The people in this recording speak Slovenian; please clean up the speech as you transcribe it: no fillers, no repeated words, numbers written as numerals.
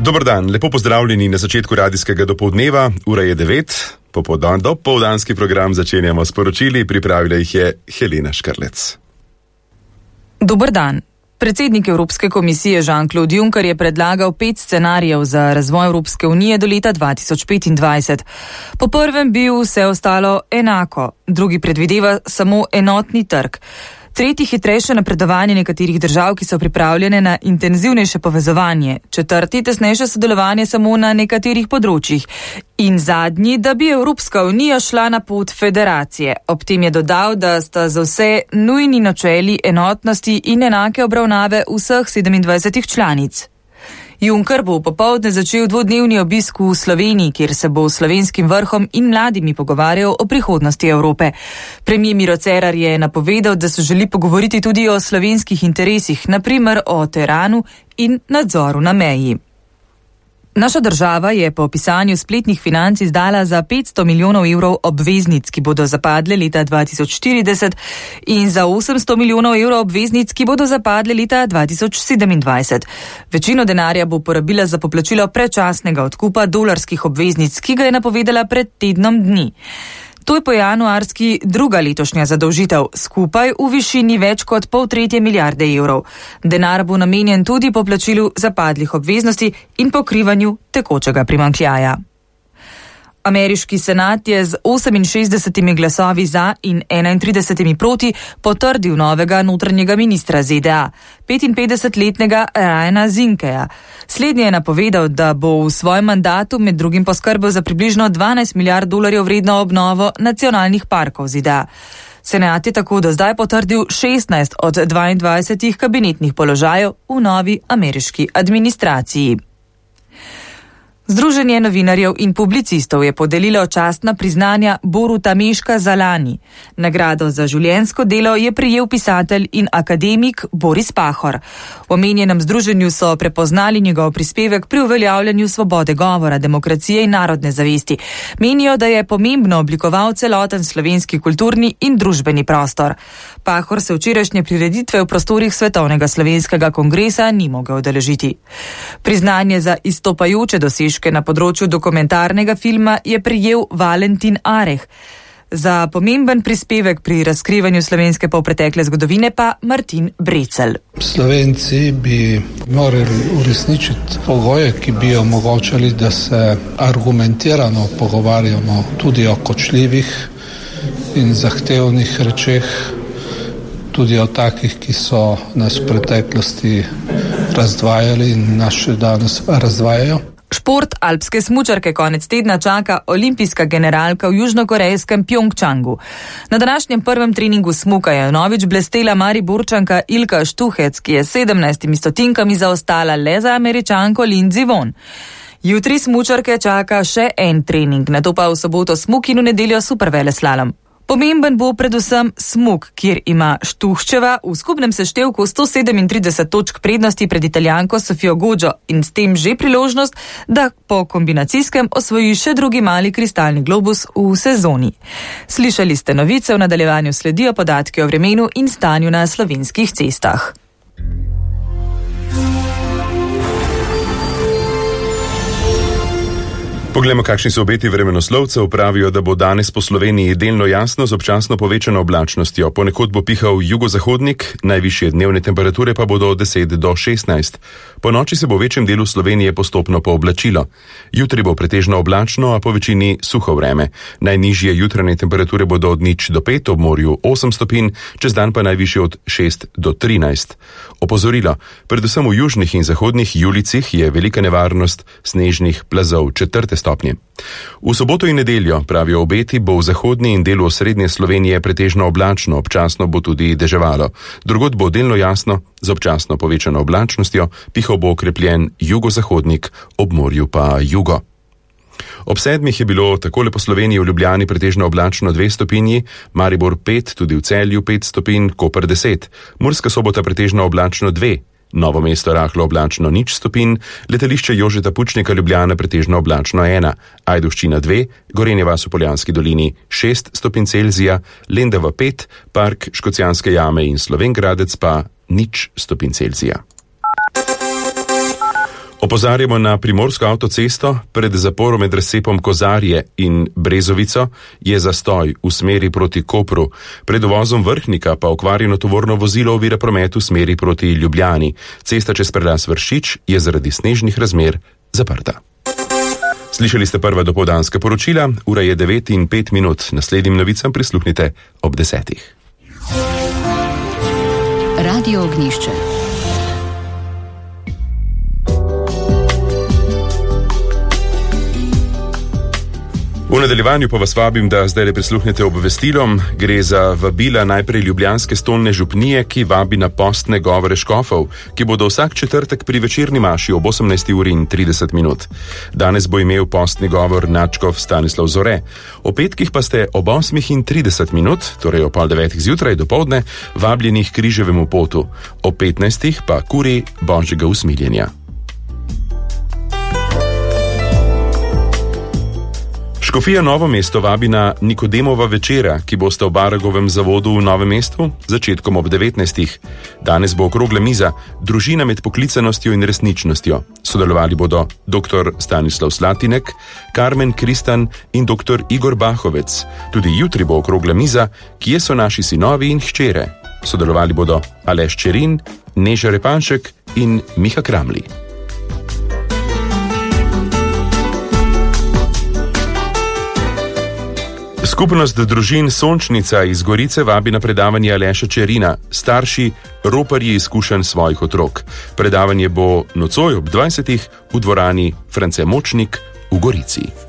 Dober dan, lepo pozdravljeni na začetku radijskega dopoldneva, ura je 9, dopoldanski program začenjamo s poročili, pripravila jih je Helena Škrlec. Dober dan. Predsednik Evropske komisije Jean-Claude Juncker je predlagal 5 scenarijev za razvoj Evropske unije do leta 2025. Po prvem bi vse ostalo enako, drugi predvideva samo enotni trg. Tretji hitrejše napredovanje nekaterih držav, ki so pripravljene na intenzivnejše povezovanje. Četrti tesnejše sodelovanje samo na nekaterih področjih. In zadnji, da bi Evropska unija šla na pot federacije. Ob tem je dodal, da sta za vse nujni načeli enotnosti in enake obravnave vseh 27 članic. Juncker bo popoldne začel dvodnevni obisk v Sloveniji, kjer se bo s slovenskim vrhom in mladimi pogovarjal o prihodnosti Evrope. Premier Miro Cerar je napovedal, da se želi pogovoriti tudi o slovenskih interesih, na primer o teranu in nadzoru na meji. Naša država je po opisanju spletnih financ izdala za 500 milijonov evrov obveznic, ki bodo zapadle leta 2040 in za 800 milijonov evrov obveznic, ki bodo zapadle leta 2027. Večino denarja bo porabila za poplačilo predčasnega odkupa dolarskih obveznic, ki ga je napovedala pred tednom dni. To je po januarski druga letošnja zadolžitev, skupaj v višini več kot 0,5 milijarde evrov. Denar bo namenjen tudi poplačilu zapadlih obveznosti in pokrivanju tekočega primanjkljaja. Ameriški senat je z 68 glasovi za in 31 proti potrdil novega notranjega ministra ZDA, 55-letnega Ryana Zinkeja. Slednji je napovedal, da bo v svojem mandatu med drugim poskrbel za približno 12 milijard dolarjev vredno obnovo nacionalnih parkov ZDA. Senat je tako do zdaj potrdil 16 od 22 kabinetnih položajev v novi ameriški administraciji. Združenje novinarjev in publicistov je podelilo častna priznanja Boruta Meška za lani. Nagrado za življenjsko delo je prejel pisatelj in akademik Boris Pahor. V omenjenem združenju so prepoznali njegov prispevek pri uveljavljanju svobode govora, demokracije in narodne zavesti. Menijo, da je pomembno oblikoval celoten slovenski kulturni in družbeni prostor. Pahor se včerajšnje prireditve v prostorih Svetovnega slovenskega kongresa ni mogel udeležiti. Priznanje za izstopajoče dosežke na področju dokumentarnega filma je prejel Valentin Areh. Za pomemben prispevek pri razkrivanju slovenske polpretekle zgodovine pa Martin Brecelj. Slovenci bi morali uresničiti pogoje, ki bi omogočali, da se argumentirano pogovarjamo tudi o kočljivih in zahtevnih rečeh, tudi o takih, ki so nas v preteklosti razdvajali in nas še danes razdvajajo. Šport alpske smučarke konec tedna čaka olimpijska generalka v južnokorejskem Pjongčangu. Na današnjem prvem treningu smuka je novič blestela Mariborčanka Ilka Štuhec, ki je 17 stotinkami zaostala le za Američanko Lindsey Vonn. Jutri smučarke čaka še en trening, nato pa v soboto smuk in v nedeljo superveleslalom. Pomemben bo predvsem smuk, kjer ima Štuhčeva v skupnem seštevku 137 točk prednosti pred Italijanko Sofijo Godžo in s tem že priložnost, da po kombinacijskem osvoji še drugi mali kristalni globus v sezoni. Slišali ste novice, v nadaljevanju sledijo podatki o vremenu in stanju na slovenskih cestah. Poglejmo, kakšni so obeti vremenoslovcev. Pravijo, da bo danes po Sloveniji delno jasno z občasno povečano oblačnostjo. Ponekod bo pihal jugozahodnik, najvišje dnevne temperature pa bodo od 10 do 16. Po noči se bo v večjem delu Slovenije postopno pooblačilo. Jutri bo pretežno oblačno, a po večini suho vreme. Najnižje jutranje temperature bodo od 0 do 5, ob morju 8 stopinj, čez dan pa najvišje od 6 do 13. Opozorilo, predvsem v južnih in zahodnih Julicih je velika nevarnost snežnih plazov 4. stopnje. V soboto in nedeljo, pravijo obeti, bo v zahodni in delu osrednje Slovenije pretežno oblačno, občasno bo tudi deževalo. Drugod bo delno jasno, z občasno povečano oblačnostjo, pihal bo okrepljen jugozahodnik, ob morju pa jugo. Ob 7 je bilo takole po Sloveniji v Ljubljani pretežno oblačno 2 stopinji, Maribor 5, tudi v Celju 5 stopinj, Koper 10, Murska Sobota pretežno oblačno 2, Novo mesto rahlo oblačno 0 stopinj, letališče Jožeta Pučnika Ljubljana pretežno oblačno 1, Ajdovščina 2, Gorenje vas v Poljanski dolini 6 stopinj Celzija, Lendava 5, Park Škocjanske jame in Slovenj Gradec pa 0 stopinj Celzija. Opozarjamo na primorsko avtocesto. Pred zaporom med razcepom Kozarje in Brezovico je zastoj v smeri proti Kopru. Pred uvozom Vrhnika pa okvarjeno tovorno vozilo ovira promet v smeri proti Ljubljani. Cesta čez prelaz Vršič je zaradi snežnih razmer zaprta. Slišali ste prva dopoldanska poročila, ura je 9:05. Naslednjim novicam prisluhnite ob 10. Radio Ognjišče. V nadaljevanju pa vas vabim, da zdaj prisluhnete obvestilom. Gre za vabila najprej ljubljanske stolne župnije, ki vabi na postne govore škofov, ki bodo vsak četrtek pri večerni maši ob 18:30. Danes bo imel postni govor nadškof Stanislav Zore. O petkih pa ste ob 8:30, torej ob 8:30 zjutraj dopoldne, vabljeni k križevemu potu. Ob 15 pa kuri Božjega usmiljenja. Škofija Novo mesto vabi na Nikodemova večera, ki bosta v Baragovem zavodu v Novem mestu začetkom ob 19. Danes bo okrogla miza Družina med poklicanostjo in resničnostjo. Sodelovali bodo dr. Stanislav Slatinek, Karmen Kristan in dr. Igor Bahovec. Tudi jutri bo okrogla miza Kje so naši sinovi in hčere. Sodelovali bodo Aleš Čerin, Neža Repanšek in Miha Kramli. Skupnost družin Sončnica iz Gorice vabi na predavanje Aleša Čerina, starši roparji izkušenj svojih otrok. Predavanje bo nocoj ob 20. v dvorani France Močnik v Gorici.